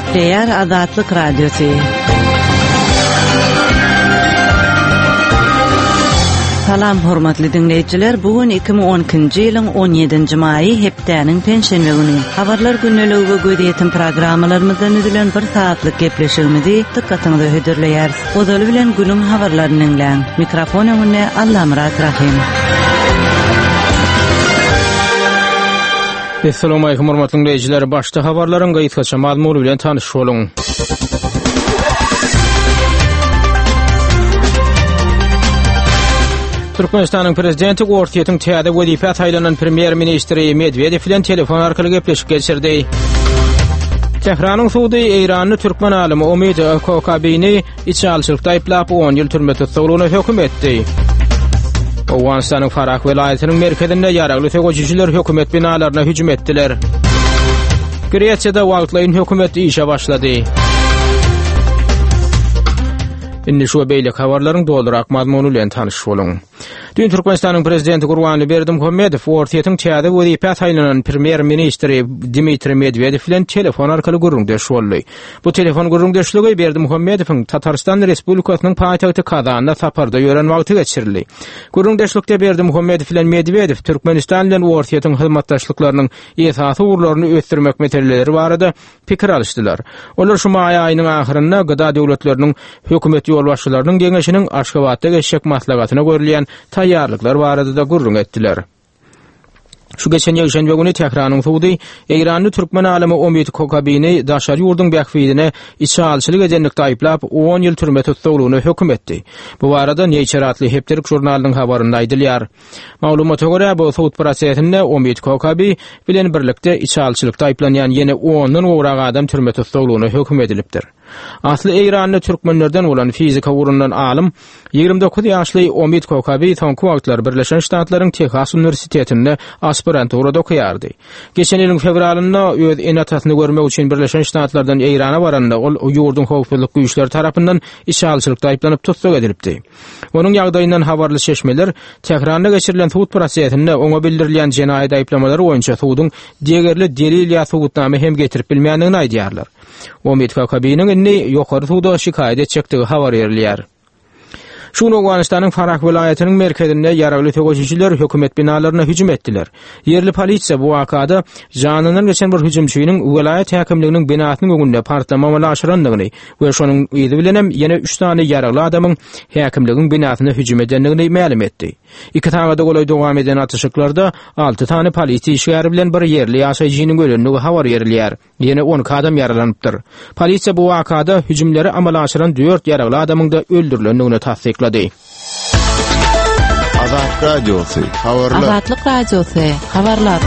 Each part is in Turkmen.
Gepleýär Azatlyk Radiosy. Salam hormatly diňleýjiler, bu gün 2012-nji ýylyň 17-nji maýy hepdäniň penşenbe güni. Habarlar gündeligi we gözýetim programmalarymyzdan düzülen bir sagatlyk gepleşigimizi dykgatyňyza hödürleýäris. Ozaly bilen günüň habarlaryny diňläň. Mikrofon öňünde Allamyrat Rahym. Assalamualaikum hormatly dinleýjiler. Başda habarlaryň gysgaça mazmuny bilen tanyş boluň. Türkmenistanyň prezidenti Orsýetiň täze wezipä saýlanan premýer-ministri Medwedew bilen telefon arkaly gepleşik geçirdi. Tähranyň sudy Eýranly türkmen alymy Omid Kokabini içalyçylykda aýyplap 10 ýyl türme tussaglygyna höküm etdi. Owganystanyň Farah welaýatynyň merkezinde ýaragly söweşijiler hökümet binalaryna hüjüm etdiler. Gresiýada wagtlaýyn hökümet işe başlady. Indi şu we beýleki habarlaryň dolurak mazmuny bilen tanyş boluň. Düýn Türkmenistanyň Prezidenti Gurbanguly Berdimuhamedow Orsýetiň täze wezipä saýlanan premýer-ministri Dmitriý Medwedew bilen telefon arkaly gürrüňdeş boldy. Bu telefon gürrüňdeşligi Berdimuhamedowyň Tatarystan Respublikasynyň paýtagty Kazanda saparda ýören wagty geçirildi. Gürrüňdeşlikde Berdimuhamedow bilen Medwedew Türkmenistan bilen Orsýetiň hyzmatdaşlyklarynyň esasy ugurlaryny ösdürmek meseleleri barada pikir alyşdylar. Olar şu maý aýynyň ahyrynda GDA döwletleriniň hökümet ýolbaşçylarynyň geňeşiniň Aşgabatda geçjek maslahatyna görülýän taýýarlyklar barada-da gürrüň etdiler. Şu geçen ýekşenbe güni Tähranyň sudy eýranly türkmen alymy Omid Kokabini daşary ýurduň bähbidine içalyçylyk edenlikde aýyplap, on ýyl türme tussaglygyna höküm etdi. Bu barada Nature atly hepdelik žurnalynyň habarynda aýdylýar. Maglumata görä, bu sud prosesinde Omid Kokabi bilen birlikde içalyçylykda aýyplanýan ýene ondan gowrak adam türme tussaglygyna höküm edilipdir. Asly eýranly türkmenlerden bolan fizika ugrundan alym, 29 ýaşly Omid Kokabi soňky wagtlar Birleşen Ştatlaryň Tehas uniwersitetinde aspiranturada okaýardy. Geçen ýylyň fewralynda öz ene-atasyny görmek üçin Birleşen Ştatlardan Eýrana baranda ol ýurduň howpsuzlyk güýçleri tarapyndan içalyçylykda aýyplanyp tussag edilipdi. Onuň ýagdaýyndan habarly çeşmeler Tähranda geçirilen sud prosesinde oňa bildirilýän jenaýat aýyplamalary boýunça suduň degerli delil ýa subutnama hem getirip bilmändigini aýdýarlar. Omid Kakabiniň indi ýokary suda şikaýat etjekdigi habar berilýär. Şu gün Owganystanyň Farah welaýatynyň merkezinde ýaragly söweşijiler hökümet binalaryna hüjüm etdiler. Ýerli polisiýa bu wakada janyndan geçen bir hüjümçiniň welaýat häkimliginiň binasynyň öňünde partlama amala aşyrandygyny we şonuň yzy bilenem ýene üç sany ýaragly adamyň häkimligiň binasyna hüjüm edendigini mälim etdi. Iki sagada golaý dowam eden atyşyklarda alty sany polisiýa işgäri bilen bir ýerli ýaşaýjynyň ölendigi habar berilýär. Ýene 12 adam ýaralanypdyr. Polisiýa bu wakada hüjümleri amala aşyran dört ýaragly adamyň-da öldürilendigini tassyklady. Azat Radiosy, habarlar. Azatlyk Radiosy, habarlar.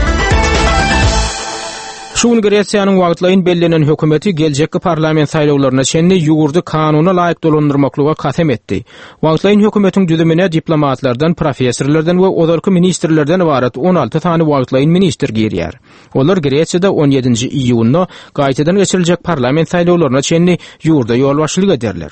Şu gün Gresiýanyň wagtlaýyn bellenen hökümeti geljekki parlament saýlawlaryna çenli ýurdy kanuna laýyk dolandyrmaklyga kasam etdi. Wagtlaýyn hökümetiň düzümine diplomatlardan, professorlardan we ozalky ministrlerden ybarat 16 sany wagtlaýyn ministr girýär. Olar Gresiýada on ýedinji iýunda gaýtadan geçiriljek parlament saýlawlaryna çenli ýurda ýolbaşçylyk ederler.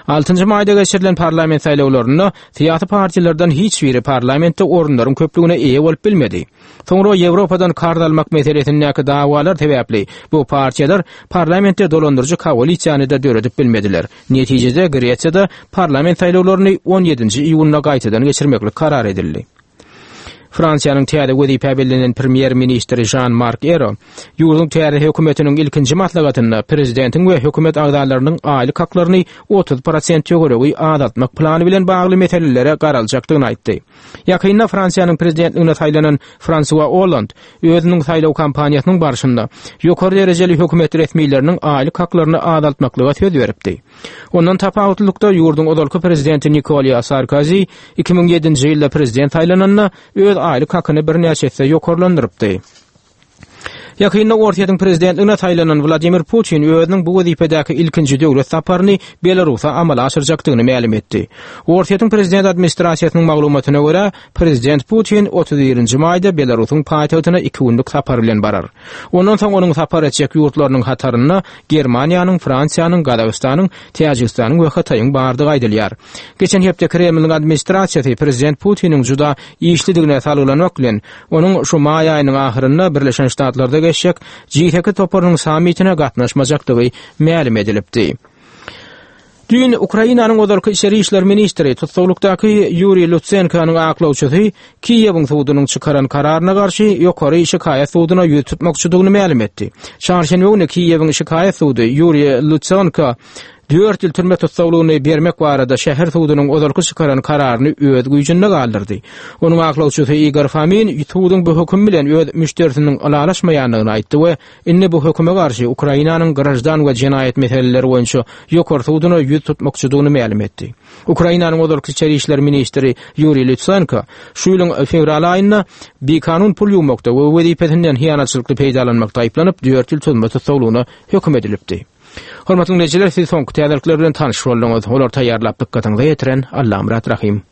Altynjy maýda geçirilen parlament saýlawlarynda syýasy partiýalardan hiç biri parlamentde orunlaryň köplügine eýe bolup bilmedi. Soňra Ýewropadan karz almak meselesindäki dawalar sebäpli bu partiýalar parlamentde dolandyryjy koalisiýany-da döredip bilmediler. Netijede Gresiýada parlament saýlawlaryny on ýedinji iýunda gaýtadan geçirmeklik karar edildi. Fransiýanyň täze wezipä bellenen premýer-ministri Žan-Mark Ero ýurduň täze hökümetiniň ilkinji maslahatynda prezidentiň we hökümet agzalarynyň aýlyk haklaryny 30 prosent töweregi azaltmak plany bilen bagly meselelere garaljakdygyny aýtdy. Ýakynda Fransiýanyň prezidentligine saýlanan Fransua Olland özüniň saýlaw kampaniýasynyň barşynda ýokary derejeli hökümet resmileriniň aýlyk haklaryny azaltmaklyga söz beripdi. Ondan tapawutlylykda, ýurduň ozalky prezidenti Nikolýa Sarkozi 2007-nji ýylda prezident saýlananda öz aýlyk hakyny birnäçe esse ýokarlandyrypdy. Ýakynda Orsýetiň prezidentligine saýlanan Wladimir Putin özüniň bu wezipedäki ilkinji döwlet saparyny Belarusa amala aşyrjakdygyny mälim etdi. Orsýetiň prezident administrasiýasynyň maglumatyna görä, prezident Putin 31-nji maýda Belarusyň paýtagtyna iki günlük sapar bilen barar. Ondan soň onuň sapar etjek ýurtlarynyň hatarynda Germaniýanyň, Fransiýanyň, Gazagystanyň, Täjigistanyň we Hytaýyň bardygy aýdylýar. Geçen hepde Kremliň administrasiýasy prezident Putiniň juda işlidigine salgylanmak bilen, onuň şu maý aýynyň ahyrynda Birleşen Ştatlarda. geçjek G8 toparynyň sammitine gatnaşmajakdygy mälim edilipdi. Düýn Ukrainanyň ozalky içeri işler ministri, tussaglykdaky Ýuriý Lutsenkonyň aklawçysy Kiýewiň sudunyň çykaran kararyna garşy Ýokary şikaýat suduna ýüz tutmakçydygyny mälim etdi. Çarşenbe güni Kiýewiň şikaýat sudy Ýuriý Lutsenko dört ýyl türme tussaglygyny bermek barada şäher sudunyň ozalky çykaran kararyny öz güýjünde galdyrdy. Onuň aklawçysy Igor Fomin suduň bu höküm bilen öz müşderisiniň ylalaşmaýandygyny aýtdy we Indi bu höküme garşy Ukrainanyň graždan we jenaýat meseleleri boýunça Ýokary suduna ýüz tutmakçydygyny mälim etdi. Ukrainanyň ozalky içeri işler ministri Ýuriý Lutsenko şu ýylyň fewral aýynda bikanun pul ýuwmakda we wezipesinden hyýanatçylykly peýdalanmakda aýyplanyp, dört ýyl türme tussaglygyna höküm edilipdi. Hormatly diňleýjiler, siz soňky täzelikler bilen tanyş bolduňyz. Olary taýýarlap dykgatyňyza ýetiren Allamyrat Rahym.